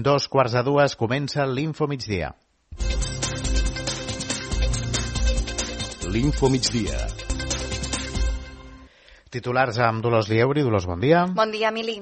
2:15 comença l'Info Migdia. L'Info Migdia. Titulars amb Dolors Lieuri. Dolors, bon dia. Bon dia, Emili.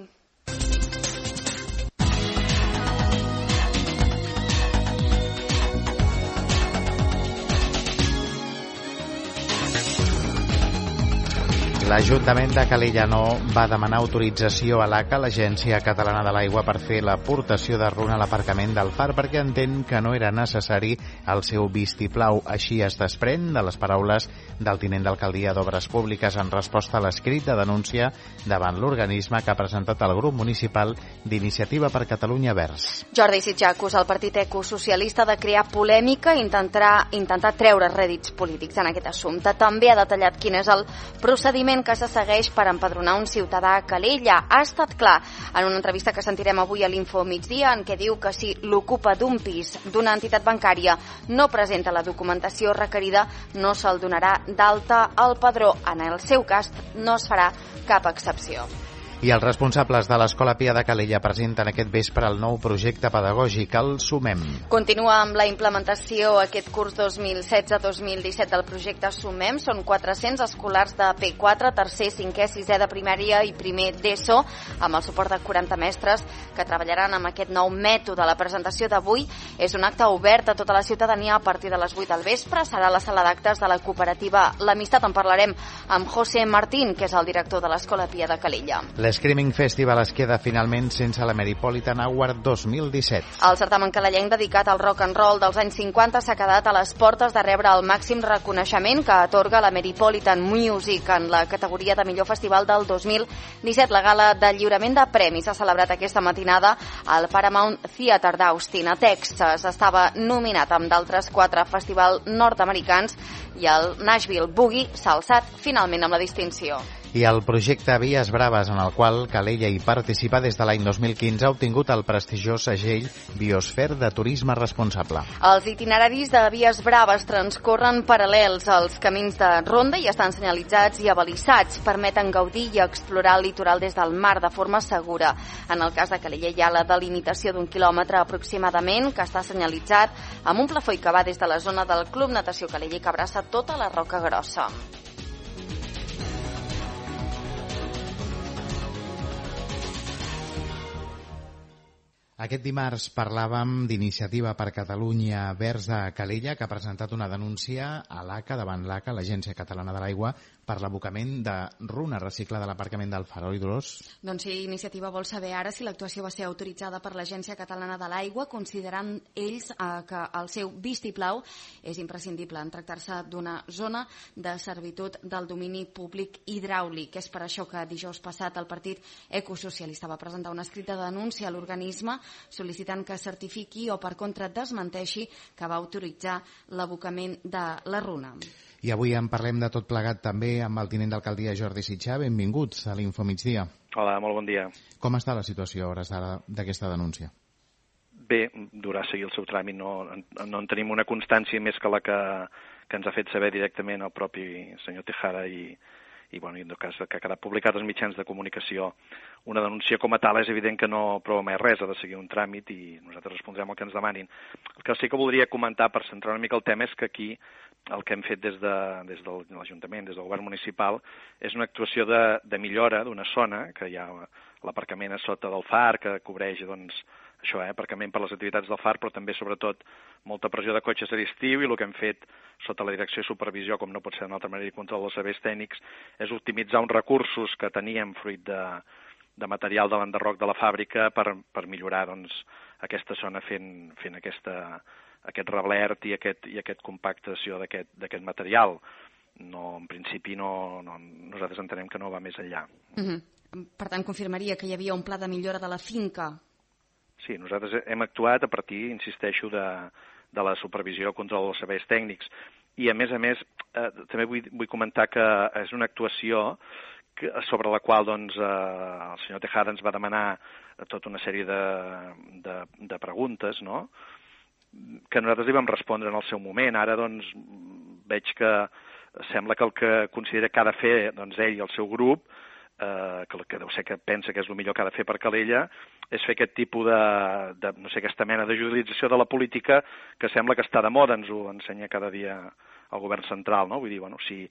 L'Ajuntament de Calella no va demanar autorització a l'ACA, l'Agència Catalana de l'Aigua, per fer l'aportació de runa a l'aparcament del Far perquè entén que no era necessari el seu vistiplau. Així es desprèn de les paraules del tinent d'alcaldia d'Obres Públiques en resposta a l'escrit de denúncia davant l'organisme que ha presentat el grup municipal d'Iniciativa per Catalunya Verds. Jordi Sitjar acusa el partit ecosocialista de crear polèmica i intentar treure rèdits polítics en aquest assumpte. També ha detallat quin és el procediment que se segueix per empadronar un ciutadà a Calella. Ha estat clar en una entrevista que sentirem avui a l'Info Migdia, en què diu que si l'ocupa d'un pis d'una entitat bancària no presenta la documentació requerida, no se'l donarà d'alta al padró. En el seu cas no es farà cap excepció. I els responsables de l'Escola Pia de Calella presenten aquest vespre el nou projecte pedagògic, el Sumem. Continua amb la implementació aquest curs 2016-2017 del projecte Sumem. Són 400 escolars de P4, tercer, cinquè, sisè de primària i primer d'ESO, amb el suport de 40 mestres que treballaran amb aquest nou mètode. La presentació d'avui és un acte obert a tota la ciutadania a partir de les 8 del vespre. Serà a la sala d'actes de la cooperativa L'Amistat. En parlarem amb José Martín, que és el director de l'Escola Pia de Calella. L'Screaming Festival es queda finalment sense la Metropolitan Award 2017. El certamen calellenc dedicat al rock and roll dels anys 50 s'ha quedat a les portes de rebre el màxim reconeixement que atorga la Metropolitan Music en la categoria de millor festival del 2017. La gala de lliurament de premis s'ha celebrat aquesta matinada al Paramount Theater d'Austin, a Texas. Estava nominat amb d'altres 4 festivals nord-americans i el Nashville Boogie s'ha alçat finalment amb la distinció. I el projecte Vies Braves, en el qual Calella hi participa des de l'any 2015, ha obtingut el prestigiós segell Biosfer de Turisme Responsable. Els itineraris de Vies Braves transcorren paral·lels als camins de ronda i estan senyalitzats i abalissats. Permeten gaudir i explorar el litoral des del mar de forma segura. En el cas de Calella hi ha la delimitació d'1 quilòmetre aproximadament que està senyalitzat amb un plafó que va des de la zona del Club Natació Calella i que abraça tota la Roca Grossa. Aquest dimarts parlàvem d'Iniciativa per Catalunya Verds de Calella, que ha presentat una denúncia a l'ACA, davant l'ACA, l'Agència Catalana de l'Aigua, per l'abocament de runa reciclada a l'aparcament del Far. Oi, Dolors? Doncs sí, Iniciativa vol saber ara si l'actuació va ser autoritzada per l'Agència Catalana de l'Aigua, considerant ells que el seu vistiplau és imprescindible en tractar-se d'una zona de servitud del domini públic hidràulic. És per això que dijous passat el partit ecosocialista va presentar un escrit de denúncia a l'organisme sol·licitant que certifiqui o per contra desmenteixi que va autoritzar l'abocament de la runa. I avui en parlem de tot plegat també amb el tinent d'alcaldia Jordi Sitjar. Benvinguts a l'Info Migdia. Hola, molt bon dia. Com està la situació a hores d'ara d'aquesta denúncia? Bé, durà seguir el seu tràmit. No en tenim una constància més que la que ens ha fet saber directament el propi senyor Tejada i bueno, en tot cas que ha quedat publicat als mitjans de comunicació. Una denúncia com a tal és evident que no prova mai res, ha de seguir un tràmit i nosaltres respondrem el que ens demanin. El que sí que voldria comentar per centrar una mica el tema és que aquí el que hem fet des de l'Ajuntament, des del govern municipal, és una actuació de millora d'una zona que hi ha l'aparcament a sota del Far, que cobreix doncs, això, aparcament per les activitats del Far, però també, sobretot, molta pressió de cotxes a l'estiu, i el que hem fet sota la direcció i supervisió, com no pot ser d'una altra manera, i control dels serveis tècnics, és optimitzar uns recursos que teníem fruit de material de l'enderroc de la fàbrica per millorar doncs, aquesta zona fent aquest reblert i aquest compactació d'aquest material. No, en principi, nosaltres entenem que no va més enllà. Per tant, confirmaria que hi havia un pla de millora de la finca? Sí, nosaltres hem actuat a partir, insisteixo, de la supervisió contra els serveis tècnics. I, a més, també vull comentar que és una actuació sobre la qual doncs, el senyor Tejada ens va demanar tota una sèrie de preguntes, no?, que nosaltres li vam respondre en el seu moment. Ara doncs, veig que sembla que el que considera que ha de fer doncs, ell i el seu grup que deu ser que pensa que és el millor que ha de fer per Calella, és fer aquest tipus de no sé, aquesta mena de judicialització de la política que sembla que està de moda, ens ho ensenya cada dia el govern central, no? Vull dir, bueno, si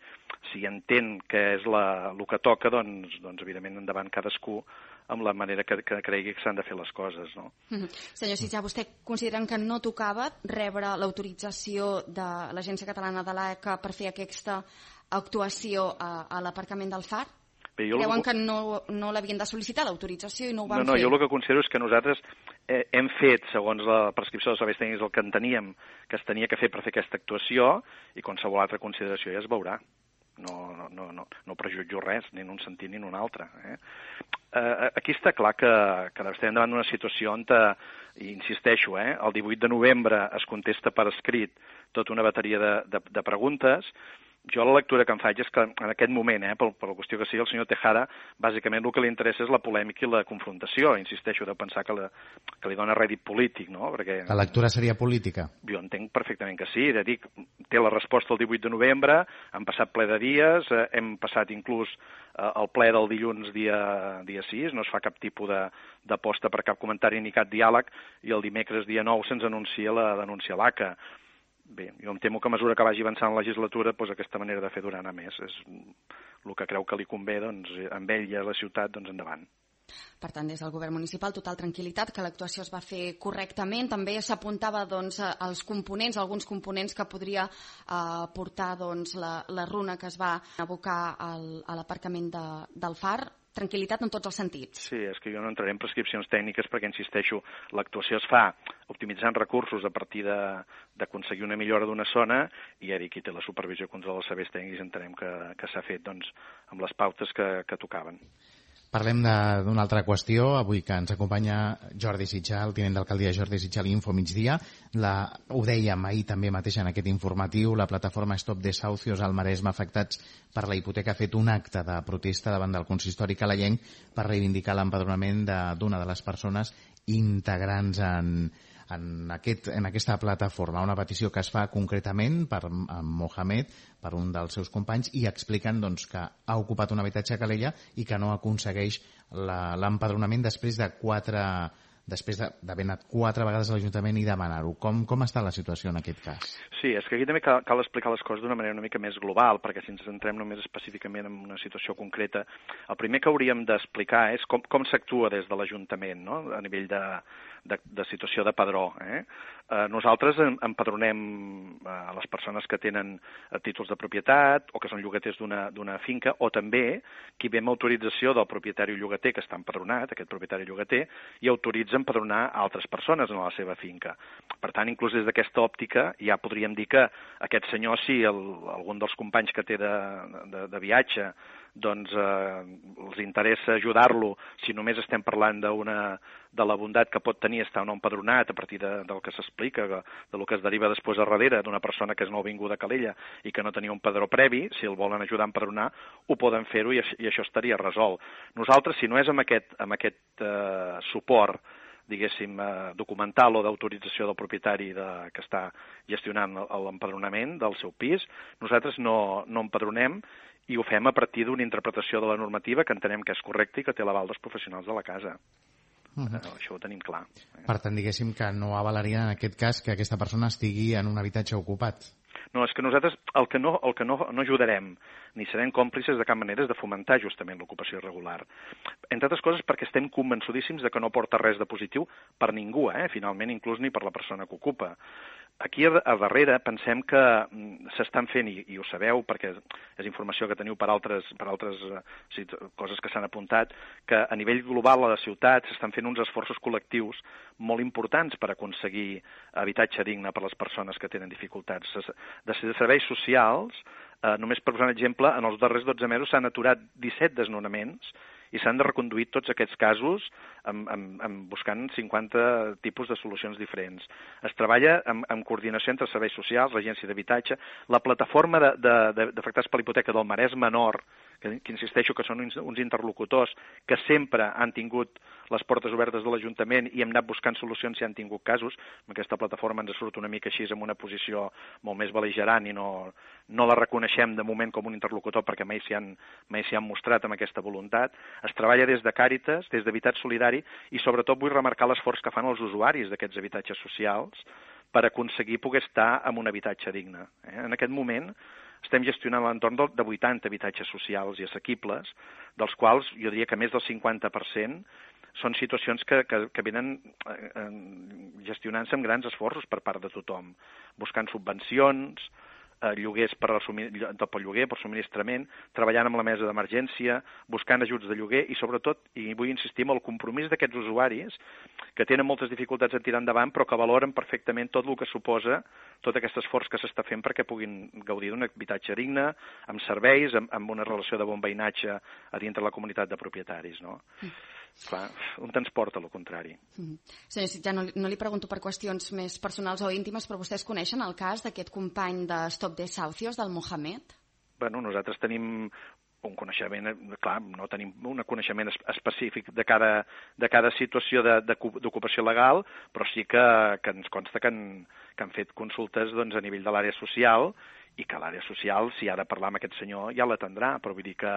entén que és el que toca, doncs evidentment endavant cadascú amb la manera que cregui que s'han de fer les coses, no? Senyor Sitjar, vostè consideren que no tocava rebre l'autorització de l'Agència Catalana de l'AECA per fer aquesta actuació a l'aparcament del Far? Creuen que no l'havien de sol·licitar l'autorització i no ho van fer? No, jo el que considero és que nosaltres hem fet, segons la prescripció dels serveis tècnics, el que enteníem que es tenia que fer per fer aquesta actuació, i qualsevol altra consideració ja es veurà. No prejutjo res, ni en un sentit ni en un altre. Aquí està clar que estem davant d'una situació on, insisteixo, el 18 de novembre es contesta per escrit tota una bateria de preguntes. Jo la lectura que em faig és que en aquest moment, per la qüestió que sigui, el senyor Tejada, bàsicament el que li interessa és la polèmica i la confrontació. Insisteixo, de pensar que li dona rèdit polític, no? Perquè la lectura seria política? Jo entenc perfectament que sí. De dir, té la resposta el 18 de novembre, han passat ple de dies, hem passat inclús el ple del dilluns dia 6, no es fa cap tipus d'aposta per cap comentari ni cap diàleg, i el dimecres dia 9 se'ns anuncia la denúncia a l'ACA. Bé, jo em temo que a mesura que vagi avançant la legislatura, doncs aquesta manera de fer durant a més és el que creu que li convé, doncs, amb ell i a la ciutat, doncs endavant. Per tant, des del govern municipal, total tranquil·litat, que l'actuació es va fer correctament. També s'apuntava als components, alguns components que podria portar la runa que es va abocar a l'aparcament del Far. Tranquil·litat en tots els sentits. Sí, és que jo no entraré en prescripcions tècniques perquè, insisteixo, l'actuació es fa optimitzant recursos a partir d'aconseguir una millora d'una zona, i ara qui té la supervisió i control dels serveis tècnics entenem que s'ha fet amb les pautes que tocaven. Parlem d'una altra qüestió, avui que ens acompanya Jordi Sitjar, el tinent d'alcaldia Jordi Sitjar, l'Info Migdia. Ho dèiem ahir també mateix en aquest informatiu, la plataforma Stop Desahucios al Maresme afectats per la hipoteca ha fet un acte de protesta davant del consistori calayenc per reivindicar l'empadronament d'una de les persones integrants en aquesta plataforma, una petició que es fa concretament per Mohamed, per un dels seus companys, i expliquen que ha ocupat un habitatge a Calella i que no aconsegueix l'empadronament després d'haver anat 4 vegades a l'Ajuntament i demanar-ho. Com està la situació en aquest cas? Sí, és que aquí també cal explicar les coses d'una manera una mica més global, perquè si ens centrem només específicament en una situació concreta, el primer que hauríem d'explicar és com s'actua des de l'Ajuntament, no? A nivell de situació de padró. Nosaltres empadronem a les persones que tenen títols de propietat o que són llogaters d'una finca, o també qui ve amb autorització del propietari llogater que està empadronat, aquest propietari llogater, i autoritza empadronar altres persones en la seva finca. Per tant, inclús des d'aquesta òptica ja podríem dir que aquest senyor, si algun dels companys que té de viatge doncs els interessa ajudar-lo, si només estem parlant de la bondat que pot tenir estar no empadronat a partir del que s'explica, del que es deriva després a darrere d'una persona que és nouvinguda a Calella i que no tenia un padró previ, si el volen ajudar a empadronar, ho poden fer-ho i això estaria resolt. Nosaltres, si no és amb aquest suport, diguéssim, documental o d'autorització del propietari que està gestionant l'empadronament del seu pis, nosaltres no empadronem, i ho fem a partir d'una interpretació de la normativa que entenem que és correcta i que té l'aval dels professionals de la casa. Això ho tenim clar. Per tant, diguéssim que no avalaria en aquest cas que aquesta persona estigui en un habitatge ocupat. No, és que nosaltres el que no ajudarem ni serem còmplices de cap manera és de fomentar justament l'ocupació irregular. Entre altres coses perquè estem convençudíssims de que no porta res de positiu per ningú, finalment inclús ni per la persona que ocupa. Aquí a darrere pensem que s'estan fent, i ho sabeu perquè és informació que teniu per altres coses que s'han apuntat, que a nivell global a la ciutat s'estan fent uns esforços col·lectius molt importants per aconseguir habitatge digne per a les persones que tenen dificultats. De serveis socials, només per posar un exemple, en els darrers 12 mesos s'han aturat 17 desnonaments i s'han de reconduir tots aquests casos buscant 50 tipus de solucions diferents. Es treballa en coordinació entre serveis socials, l'agència d'habitatge, la plataforma d'afectats per la hipoteca del Maresme Nord, que insisteixo que són uns interlocutors que sempre han tingut les portes obertes de l'Ajuntament i hem anat buscant solucions si han tingut casos. Amb aquesta plataforma ens surt una mica així en una posició molt més bel·ligerant i no la reconeixem de moment com un interlocutor perquè mai s'hi han mostrat amb aquesta voluntat. Es treballa des de Càritas, des d'Habitat Solidari i sobretot vull remarcar l'esforç que fan els usuaris d'aquests habitatges socials per aconseguir poder estar en un habitatge digne. En aquest moment estem gestionant l'entorn de 80 habitatges socials i assequibles, dels quals jo diria que més del 50% són situacions que venen gestionant-se amb grans esforços per part de tothom, buscant subvencions, lloguers per lloguer, per subministrament, treballant amb la mesa d'emergència, buscant ajuts de lloguer i sobretot, i vull insistir en el compromís d'aquests usuaris que tenen moltes dificultats en tirar endavant però que valoren perfectament tot el que suposa tot aquest esforç que s'està fent perquè puguin gaudir d'un habitatge digne, amb serveis, amb una relació de bon veïnatge a dintre la comunitat de propietaris, no? Clar, on ens porta el contrari. Senyor Sitjar, no li pregunto per qüestions més personals o íntimes, però vostès coneixen el cas d'aquest company de Stop Desahucios, del Mohamed? Bueno, nosaltres tenim un coneixement, clar, no tenim un coneixement específic de cada situació d'ocupació legal, però sí que ens consta que han fet consultes doncs, a nivell de l'àrea social i que l'àrea social, si ha de parlar amb aquest senyor, ja l'atendrà, però vull dir que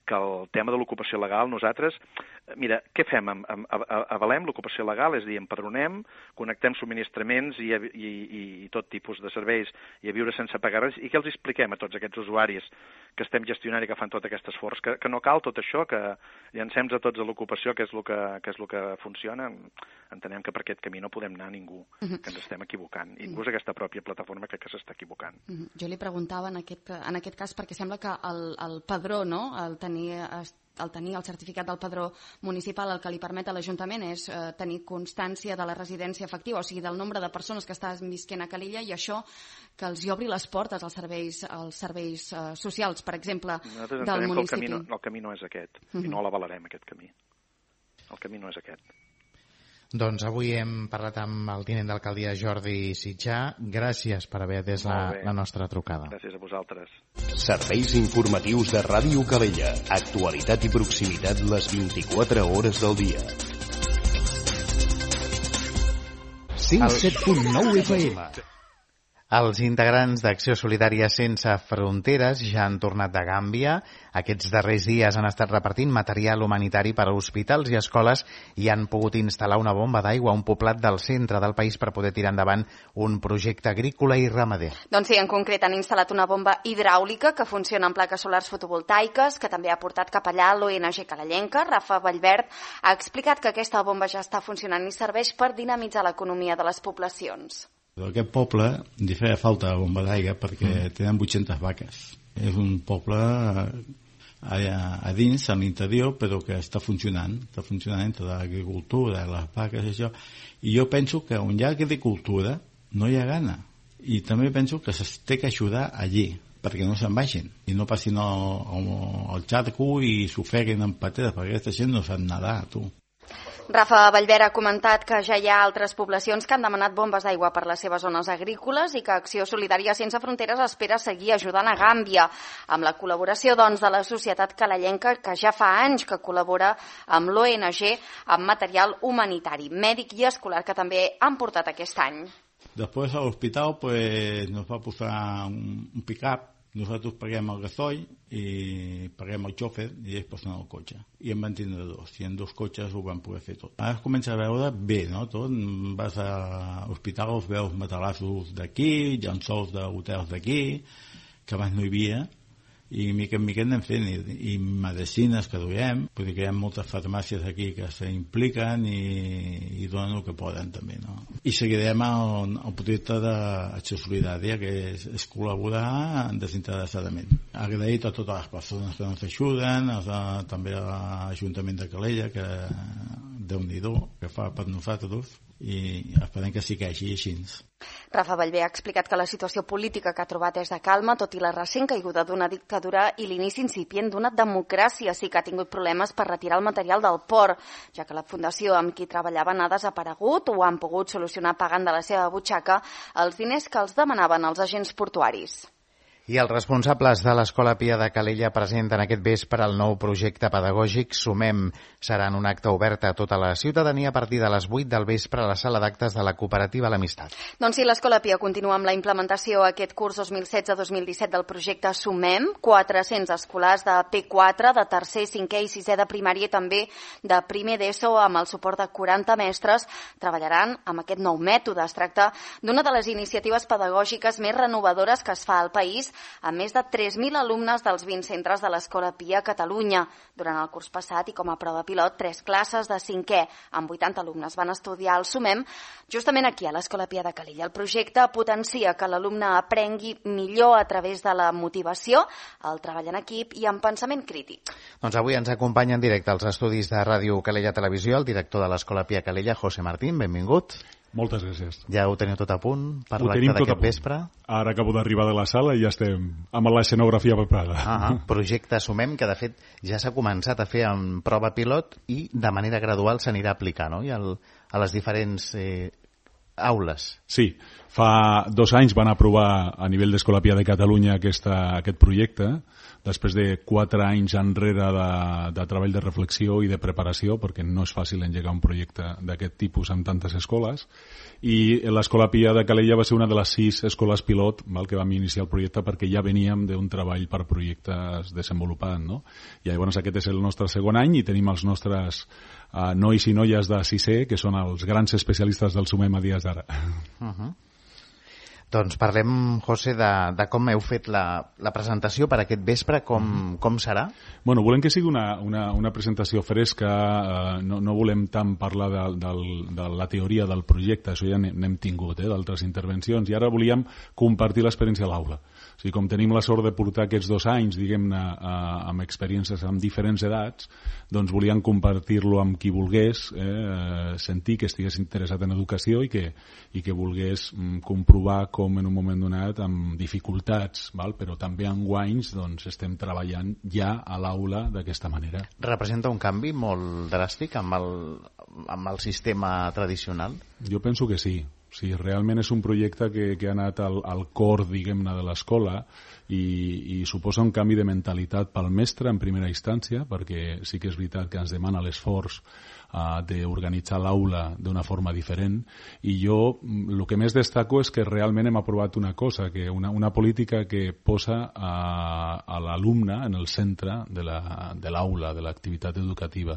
el tema de l'ocupació legal, nosaltres, mira, què fem? Avalem l'ocupació legal, és a dir, empadronem, connectem subministraments i tot tipus de serveis i a viure sense pagar res, i què els expliquem a tots aquests usuaris que estem gestionant i que fan tot aquest esforç? Que no cal tot això, que llancem a tots a l'ocupació, que és el que funciona. Entenem que per aquest camí no podem anar a ningú, que ens estem equivocant. Inclús aquesta pròpia plataforma crec que s'està equivocant. Jo li preguntava en aquest cas perquè sembla que el padró, no?, el tenir el certificat del padró municipal, el que li permet a l'Ajuntament és tenir constància de la residència efectiva, o sigui, del nombre de persones que estan visquent a Calella, i això que els hi obri les portes als serveis socials, per exemple, del municipi. Que el camí no és aquest, i no l'avalarem, aquest camí. El camí no és aquest. Doncs avui hem parlat amb el tinent d'alcaldia Jordi Sitjar. Gràcies per haver atès la nostra trucada. Gràcies a vosaltres. Serveis informatius de Ràdio Calella. Actualitat i proximitat les 24 hores del dia. 107.9 FM. Els integrants d'Acció Solidària Sense Fronteres ja han tornat de Gàmbia. Aquests darrers dies han estat repartint material humanitari per a hospitals i escoles i han pogut instal·lar una bomba d'aigua a un poblat del centre del país per poder tirar endavant un projecte agrícola i ramader. Doncs sí, en concret han instal·lat una bomba hidràulica que funciona amb plaques solars fotovoltaiques, que també ha portat cap allà l'ONG calellenca. Rafa Vallverd ha explicat que aquesta bomba ja està funcionant i serveix per dinamitzar l'economia de les poblacions. Aquest poble li feia falta bomba d'aigua perquè tenen 800 vaques. És un poble a dins, a l'interior, però que està funcionant entre l'agricultura, les vaques i això. I jo penso que on hi ha agricultura no hi ha gana. I també penso que s'ha d'ajudar allí, perquè no se'n vagin i no passin al xarco i s'ofeguen en pateres, perquè aquesta gent no sap nedar, tu. Rafa Vallverd ha comentat que ja hi ha altres poblacions que han demanat bombes d'aigua per les seves zones agrícoles i que Acció Solidària Sense Fronteres espera seguir ajudant a Gàmbia, amb la col·laboració doncs, de la societat calellenca, que ja fa anys que col·labora amb l'ONG amb material humanitari, mèdic i escolar, que també han portat aquest any. Després a l'hospital nos va posar un pick-up. Nosaltres paguem el gasoil i paguem el xòfer i ells posen el cotxe. I en van tindre dos, i en 2 cotxes ho van poder fer tot. Ara es comença a veure bé, no? Tot. Vas a l'hospital, veus matalassos d'aquí, llençols d'hotels d'aquí, que abans no hi havia, i mica en mica anem fent, i medicines que duem, vull dir que hi ha moltes farmàcies aquí que s'impliquen i donen el que poden també, no? I seguirem el projecte d'Acció Solidària, que és col·laborar desinteressadament. Agraït a totes les persones que ens ajuden, també a l'Ajuntament de Calella, que Déu-n'hi-do, que fa per nosaltres, i esperem que segueixi així. Rafa Vallverd ha explicat que la situació política que ha trobat és de calma, tot i la recent caiguda d'una dictadura i l'inici incipient d'una democràcia. Sí que ha tingut problemes per retirar el material del port, ja que la fundació amb qui treballaven ha desaparegut o han pogut solucionar pagant de la seva butxaca els diners que els demanaven els agents portuaris. I els responsables de l'Escola Pia de Calella presenten aquest vespre el nou projecte pedagògic Sumem. Serà en un acte obert a tota la ciutadania a partir de les 8 del vespre a la sala d'actes de la cooperativa L'Amistat. Doncs sí, l'Escola Pia continua amb la implementació aquest curs 2016-2017 del projecte Sumem. 400 escolars de P4, de tercer, cinquè i sisè de primària i també de primer d'ESO amb el suport de 40 mestres treballaran amb aquest nou mètode. Es tracta d'una de les iniciatives pedagògiques més renovadores que es fa al país, amb més de 3.000 alumnes dels 20 centres de l'Escola Pia a Catalunya. Durant el curs passat i com a prova pilot, 3 classes de 5è amb 80 alumnes van estudiar el Sumem justament aquí a l'Escola Pia de Calella. El projecte potencia que l'alumne aprengui millor a través de la motivació, el treball en equip i en pensament crític. Doncs avui ens acompanya en directe als estudis de Ràdio Calella Televisió el director de l'Escola Pia Calella, José Martín. Benvingut. Moltes gràcies. Ja ho teniu tot a punt per l'acte d'aquest vespre? Ara acabo d'arribar de la sala i ja estem amb l'escenografia preparada. Projecte Sumem, que de fet ja s'ha començat a fer en prova pilot i de manera gradual s'anirà aplicant, no? I a les diferents aules. Sí, fa 2 anys van aprovar a nivell d'Escola Pia de Catalunya aquest projecte, després de 4 anys enrere de treball de reflexió i de preparació, perquè no és fàcil engegar un projecte d'aquest tipus amb tantes escoles, i l'Escola Pia de Calella va ser una de les 6 escoles pilot que vam iniciar el projecte perquè ja veníem d'un treball per projectes desenvolupat, no? I llavors aquest és el nostre segon any i tenim els nostres nois i noies de 6è, que són els grans especialistes del Sumem a dies d'ara. Doncs parlem, José, de com heu fet la presentació per aquest vespre, com serà? Bueno, volem que sigui una presentació fresca, no volem tant parlar de la teoria del projecte, això ja n'hem tingut, d'altres intervencions, i ara volíem compartir l'experiència a l'aula. O sigui, com tenim la sort de portar aquests 2 anys, diguem-ne, amb experiències amb diferents edats, doncs volíem compartir-lo amb qui volgués, sentir que estigués interessat en educació i que volgués comprovar com en un moment donat, amb dificultats, però també en guanys, doncs estem treballant ja a l'aula d'aquesta manera. Representa un canvi molt dràstic amb el sistema tradicional? Jo penso que sí. Sí, realment és un projecte que ha anat al cor, diguem-ne, de l'escola i suposa un canvi de mentalitat pel mestre en primera instància, perquè sí que és veritat que ens demana l'esforç d'organitzar l'aula d'una forma diferent, i jo el que més destaco és que realment hem aprovat una cosa, que una política que posa a l'alumne en el centre de l'aula, de l'activitat educativa.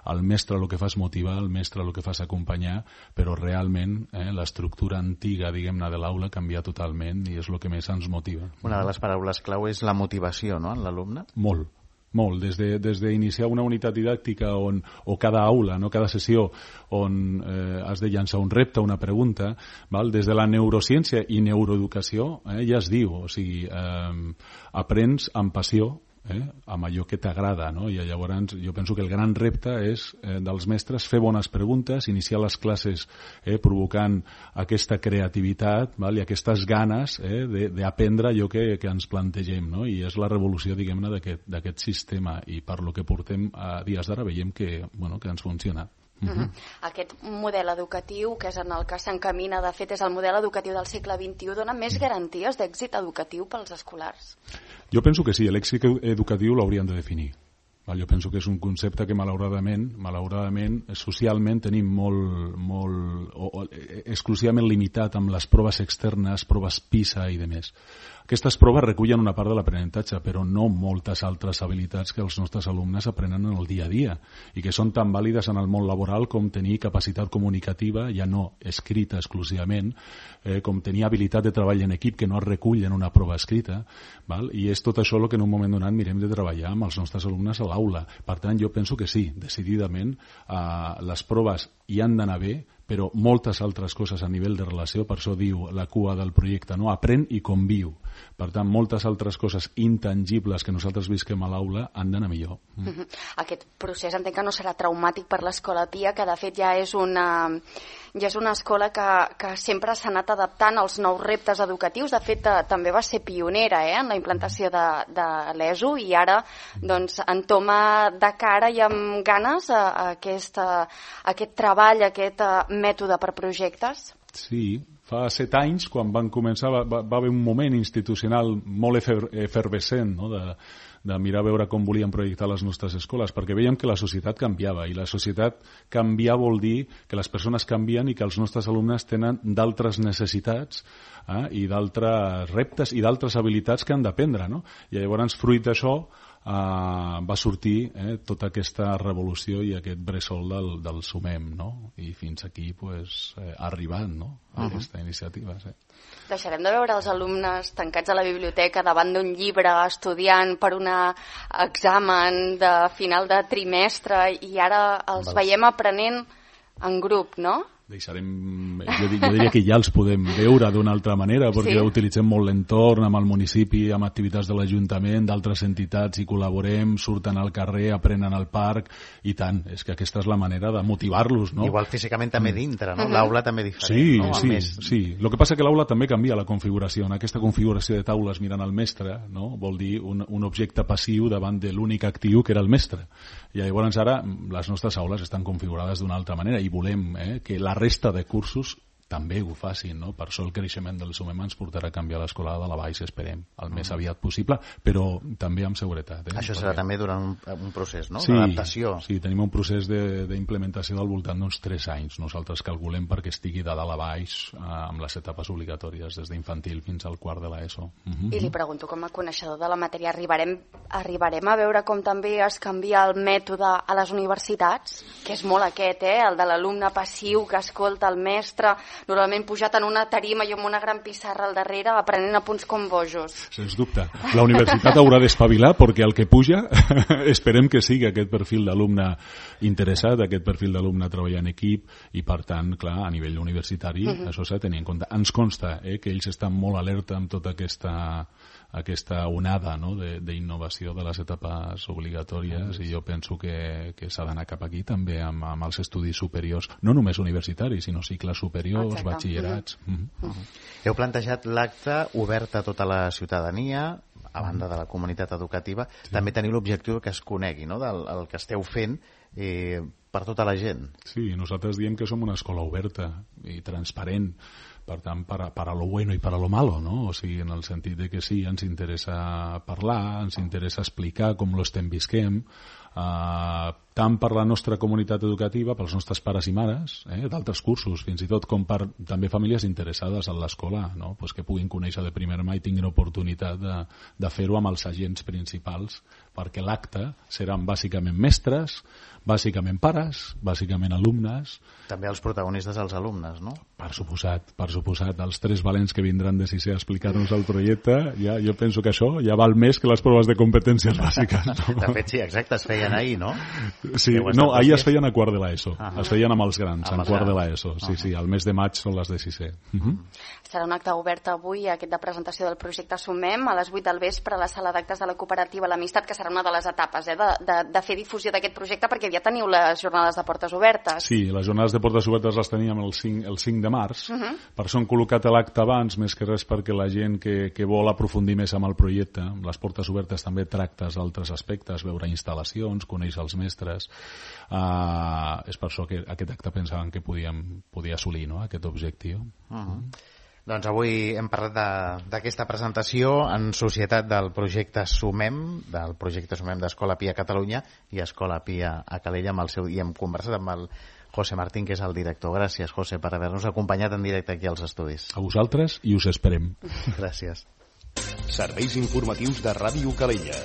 El mestre el que fa és motivar, el mestre el que fa és acompanyar, però realment l'estructura antiga, diguem-ne, de l'aula canvia totalment i és el que més ens motiva. Una de les paraules clau és la motivació, no?, en l'alumne? Molt. Des d'iniciar una unitat didàctica o cada aula, no, cada sessió on has de llançar un repte, una pregunta, des de la neurociència i neuroeducació ja es diu, o sigui, aprens amb passió, amb allò que t'agrada, no? I llavors jo penso que el gran repte és dels mestres fer bones preguntes, iniciar les classes provocant aquesta creativitat i aquestes ganes d'aprendre allò que ens plantegem, no? I és la revolució, diguem-ne, d'aquest sistema, i per lo que portem a dies d'ara veiem que ens funciona. Aquest model educatiu, que és en el que s'encamina, de fet és el model educatiu del segle XXI, dona més garanties d'èxit educatiu pels escolars? Jo penso que sí, l'èxit educatiu l'hauríem de definir. Jo penso que és un concepte que malauradament socialment tenim molt exclusivament limitat amb les proves externes, proves PISA i demés. Aquestes proves recullen una part de l'aprenentatge, però no moltes altres habilitats que els nostres alumnes aprenen en el dia a dia i que són tan vàlides en el món laboral com tenir capacitat comunicativa, ja no escrita exclusivament, com tenir habilitat de treball en equip que no es recull en una prova escrita, i és tot això el que en un moment donat mirem de treballar amb els nostres alumnes a l'aula. Per tant, jo penso que sí, decididament, les proves hi han d'anar bé, però moltes altres coses a nivell de relació, per això diu la cua del projecte, no? Aprèn i conviu. Per tant, moltes altres coses intangibles que nosaltres visquem a l'aula han d'anar millor. Aquest procés entenc que no serà traumàtic per l'Escola Pia, que de fet ja és una escola que sempre s'ha anat adaptant als nous reptes educatius. De fet, també va ser pionera en la implantació de l'ESO i ara entoma de cara i amb ganes aquest treball, aquest mètode per projectes. Sí, fa 7 anys, quan van començar, va haver un moment institucional molt efervescent, no?, de mirar a veure com volíem projectar les nostres escoles, perquè veiem que la societat canviava, i la societat canviar vol dir que les persones canvien i que els nostres alumnes tenen d'altres necessitats i d'altres reptes i d'altres habilitats que han d'aprendre, no? I llavors, fruit d'això, va sortir tota aquesta revolució i aquest bressol del Sumem, no? I fins aquí ha arribat, no?, aquesta iniciativa. Sí. Deixarem de veure els alumnes tancats a la biblioteca davant d'un llibre estudiant per un examen de final de trimestre i ara els veiem aprenent en grup, no? Deixarem, jo diria que ja els podem veure d'una altra manera, perquè ja utilitzem molt l'entorn amb el municipi, amb activitats de l'Ajuntament, d'altres entitats, i col·laborem, surten al carrer, aprenen al parc, i tant, és que aquesta és la manera de motivar-los, no? Igual físicament també dintre, no? L'aula també diferent, no? Sí. El que passa que l'aula també canvia la configuració. En aquesta configuració de taules mirant al mestre, no?, vol dir un objecte passiu davant de l'únic actiu que era el mestre. I llavors ara les nostres aules estan configurades d'una altra manera i volem que la resta de cursos també ho facin, no? Per això el creixement del Sumem ens portarà a canviar l'escola de la Baix, esperem, el més aviat possible, però també amb seguretat. Això serà també durant un procés, no? Sí, d'adaptació. Sí, tenim un procés d'implementació del voltant d'uns 3 anys. Nosaltres calculem perquè estigui de dalt a baix amb les etapes obligatòries, des d'infantil fins al quart de l'ESO. I li pregunto, com a coneixedor de la matèria, arribarem a veure com també es canvia el mètode a les universitats? Que és molt aquest, el de l'alumne passiu que escolta el mestre, normalment pujat en una tarima i amb una gran pissarra al darrere, aprenent a punts com bojos. Sens dubte. La universitat haurà d'espavilar perquè el que puja esperem que sigui aquest perfil d'alumne interessat, aquest perfil d'alumne a treballar en equip, i per tant, clar, a nivell universitari això s'ha de tenir en compte. Ens consta que ells estan molt alerta amb tota aquesta onada, no?, d'innovació de les etapes obligatòries, i jo penso que s'ha d'anar cap aquí també amb els estudis superiors, no només universitaris, sinó cicles superiors, batxillerats. Heu plantejat l'acte obert a tota la ciutadania, a banda de la comunitat educativa. També teniu l'objectiu que es conegui, no?, del que esteu fent per tota la gent. Sí, nosaltres diem que som una escola oberta i transparent, per tant, para lo bueno i para lo malo, no? O sigui, en el sentit de que sí, ens interessa parlar, ens interessa explicar com lo estem visquem, tant per la nostra comunitat educativa, pels nostres pares i mares, d'altres cursos, fins i tot com per també famílies interessades en l'escola, no?, pues que puguin conèixer de primera mà i tinguin oportunitat de fer-ho amb els agents principals, perquè l'acte seran bàsicament mestres, bàsicament pares, bàsicament alumnes. També els protagonistes, els alumnes, no? Per suposat. Els 3 valents que vindran de 6è a explicar-nos el projecte, jo penso que això ja val més que les proves de competències bàsiques. No? De fet, sí, exacte, es feien ahir, no? Sí, no, ahir es feien a quart de l'ESO. Es feien amb els grans, en quart de l'ESO. Sí, al mes de maig són les de 6è. Serà un acte obert avui, aquest de presentació del projecte Sumem, a les 8 del vespre a la sala d'actes de la cooperativa L'Amistat, que serà una de les etapes de fer difusió d'aquest projecte, perquè ja teniu les jornades de portes obertes. Sí, les jornades de portes obertes les teníem el 5 de març. Per això hem col·locat l'acte abans, més que res perquè la gent que vol aprofundir més amb el projecte, les portes obertes també tractes d'altres aspectes, veure instal·lacions, conèixer els mestres. És per això que aquest acte pensàvem que podia assolir, no?, aquest objectiu. Doncs avui hem parlat d'aquesta presentació en societat del projecte Sumem, d'Escola Pia a Catalunya i Escola Pia a Calella, i hem conversat amb el José Martín, que és el director. Gràcies, José, per haver-nos acompanyat en directe aquí als estudis. A vosaltres, i us esperem. Gràcies. Serveis informatius de Ràdio Calella.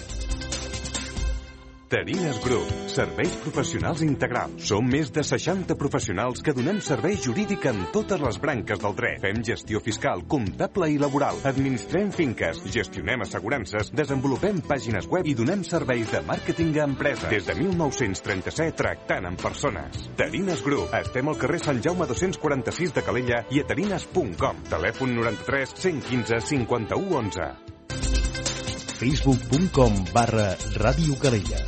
Terines Group, serveis professionals integrals. Som més de 60 professionals que donem servei jurídic en totes les branques del dret. Fem gestió fiscal, comptable i laboral. Administrem finques, gestionem assegurances, desenvolupem pàgines web i donem serveis de màrqueting a empreses. Des de 1937 tractant amb persones. Terines Group. Estem al carrer Sant Jaume 246 de Calella i a terines.com. Telèfon 93 115 51 11. Facebook.com/Ràdio Calella.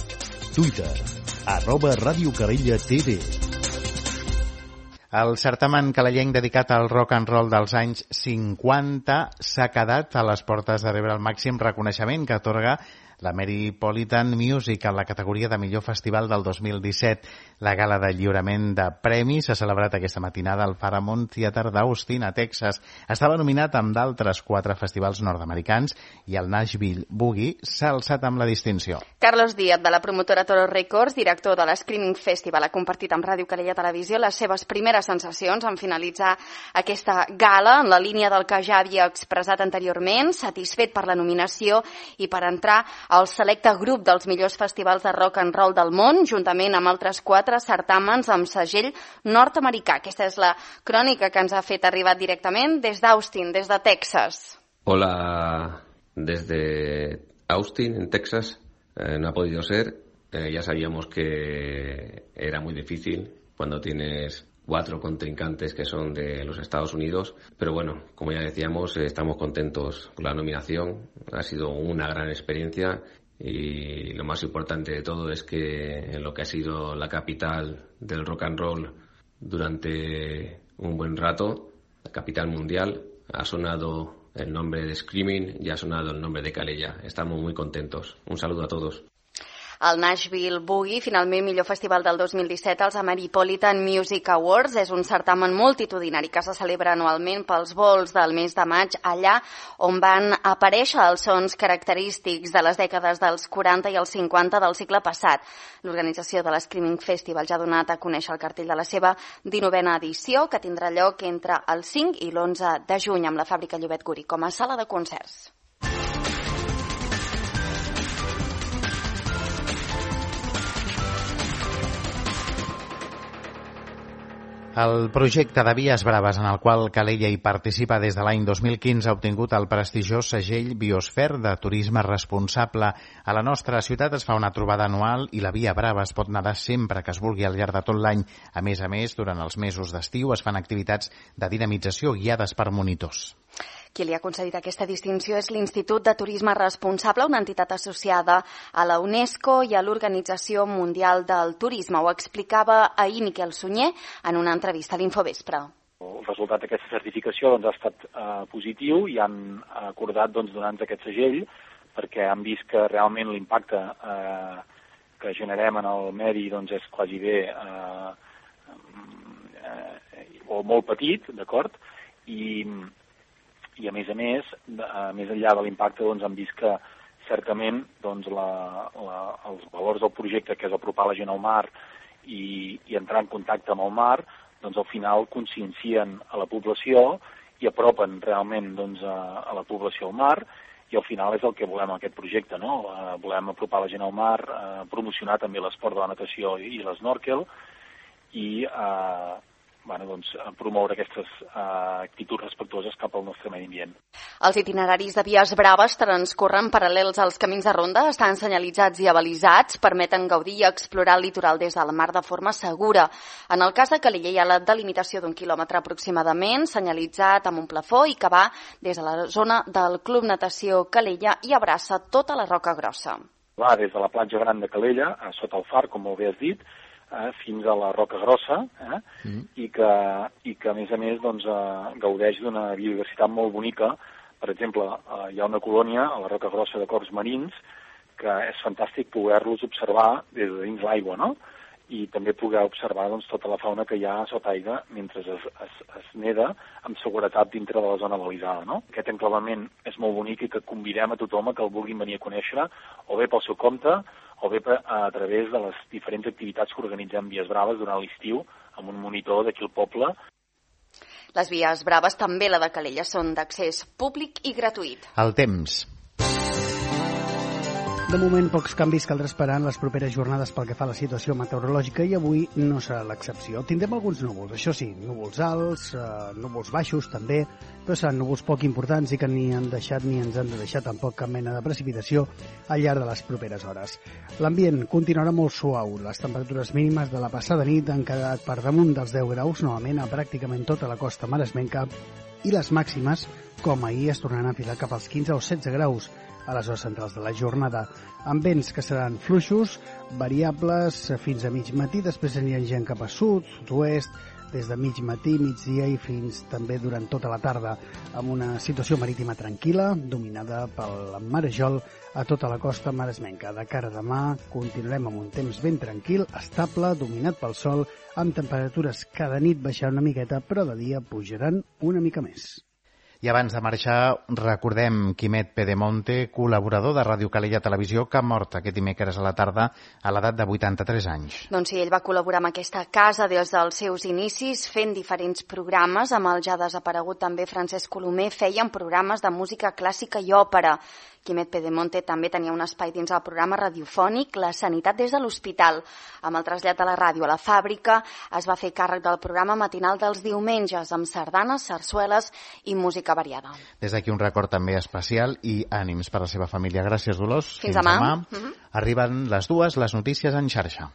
Twitter, @Ràdio Calella TV. El certamen calellenc dedicat al rock and roll dels anys 50 s'ha quedat a les portes de rebre el màxim reconeixement que atorga la Metropolitan Music en la categoria de millor festival del 2017. La gala de lliurament de premis s'ha celebrat aquesta matinada al Paramount Theater d'Austin, a Texas. Estava nominat amb d'altres 4 festivals nord-americans i el Nashville Boogie s'ha alçat amb la distinció. Carlos Díaz, de la promotora Toro Records, director de l'Screaming Festival, ha compartit amb Ràdio Calella Televisió les seves primeres sensacions en finalitzar aquesta gala, en la línia del que ja havia expressat anteriorment, satisfet per la nominació i per entrar al selecte grup dels millors festivals de rock and roll del món, juntament amb altres 4 certàmens amb segell nord-americà. Aquesta és la crònica que ens ha fet arribar directament des d'Austin, des de Texas. Hola, desde Austin, en Texas. No ha podido ser. Ya sabíamos que era muy difícil cuando tienes 4 contrincantes que son de los Estados Unidos, pero bueno, como ya decíamos, estamos contentos con la nominación. Ha sido una gran experiencia y lo más importante de todo es que en lo que ha sido la capital del rock and roll durante un buen rato, la capital mundial, ha sonado el nombre de Screaming y ha sonado el nombre de Calella. Estamos muy contentos. Un saludo a todos. El Nashville Boogie, finalment millor festival del 2017, els Metropolitan Music Awards, és un certamen multitudinari que se celebra anualment pels vols del mes de maig, allà on van aparèixer els sons característics de les dècades dels 40 i els 50 del segle passat. L'organització de l'Screaming Festival ja ha donat a conèixer el cartell de la seva 19a edició, que tindrà lloc entre el 5 i l'11 de juny amb la Fàbrica Llobet Guri com a sala de concerts. El projecte de Vies Braves, en el qual Calella hi participa des de l'any 2015, ha obtingut el prestigiós segell Biosfer de turisme responsable. A la nostra ciutat es fa una trobada anual i la Via Brava es pot nedar sempre que es vulgui al llarg de tot l'any. A més, durant els mesos d'estiu es fan activitats de dinamització guiades per monitors. Qui li ha concedit aquesta distinció és l'Institut de Turisme Responsable, una entitat associada a la UNESCO i a l'Organització Mundial del Turisme. Ho explicava ahir Miquel Sunyer en una entrevista a l'Infovespre. El resultat d'aquesta certificació ha estat positiu i han acordat donar-nos aquest segell perquè han vist que realment l'impacte que generem en el medi és quasi bé o molt petit, d'acord? I a més més enllà de l'impacte han vist que certament els valors del projecte, que és apropar la gent al mar i entrar en contacte amb el mar, al final consciencien a la població i apropen realment a la població al mar, i al final és el que volem en aquest projecte, no? Volem apropar la gent al mar, promocionar també l'esport de la natació i l'esnòrquel i promoure aquestes actituds respectuoses cap al nostre medi ambient. Els itineraris de Vies Braves transcorren paral·lels als camins de ronda, estan senyalitzats i avalisats, permeten gaudir i explorar el litoral des del mar de forma segura. En el cas de Calella hi ha la delimitació d'1 quilòmetre aproximadament, senyalitzat amb un plafó i que va des de la zona del Club Natació Calella i abraça tota la Roca Grossa. Va des de la platja gran de Calella, sota el far, com molt bé has dit, fins a la Roca Grossa, i que a més gaudeix d'una biodiversitat molt bonica. Per exemple, hi ha una colònia a la Roca Grossa de corbs marins que és fantàstic poder-los observar des de dins l'aigua, no? I també poder observar tota la fauna que hi ha sota aigua mentre es neda amb seguretat dintre de la zona balisada, no? Aquest enclavament és molt bonic i que convidem a tothom que el vulguin venir a conèixer, o bé pel seu compte, o bé a través de les diferents activitats que organitzem Vies Braves durant l'estiu amb un monitor d'aquí al poble. Les Vies Braves, també la de Calella, són d'accés públic i gratuït. El temps. De moment, pocs canvis caldrà esperar en les properes jornades pel que fa a la situació meteorològica i avui no serà l'excepció. Tindrem alguns núvols, això sí, núvols alts, núvols baixos també, però seran núvols poc importants i que ni han deixat ni ens han de deixar tampoc cap mena de precipitació al llarg de les properes hores. L'ambient continuarà molt suau. Les temperatures mínimes de la passada nit han quedat per damunt dels 10 graus, novament a pràcticament tota la costa maresmenca, i les màximes, com ahir, es tornaran a enfilar cap als 15 o 16 graus a les hores centrals de la jornada, amb vents que seran fluixos, variables fins a mig matí, després aniran gent cap a sud, sud-oest, des de mig matí, migdia i fins també durant tota la tarda, amb una situació marítima tranquil·la, dominada pel marejol a tota la costa maresmenca. De cara a demà continuarem amb un temps ben tranquil, estable, dominat pel sol, amb temperatures cada nit baixant una miqueta, però de dia pujaran una mica més. I abans de marxar, recordem Quimet Pedemonte, col·laborador de Ràdio Calella Televisió, que ha mort aquest dimecres a la tarda a l'edat de 83 anys. Doncs sí, ell va col·laborar amb aquesta casa des dels seus inicis, fent diferents programes. Amb el ja desaparegut també Francesc Colomer feien programes de música clàssica i òpera. Quimet Pedemonte també tenia un espai dins el programa radiofònic La Sanitat des de l'Hospital. Amb el trasllat de la ràdio a la fàbrica es va fer càrrec del programa matinal dels diumenges, amb sardanes, sarsueles i música variada. Des d'aquí un record també especial i ànims per a la seva família. Gràcies, Dolors. Fins demà. Arriben les 2, les notícies en xarxa.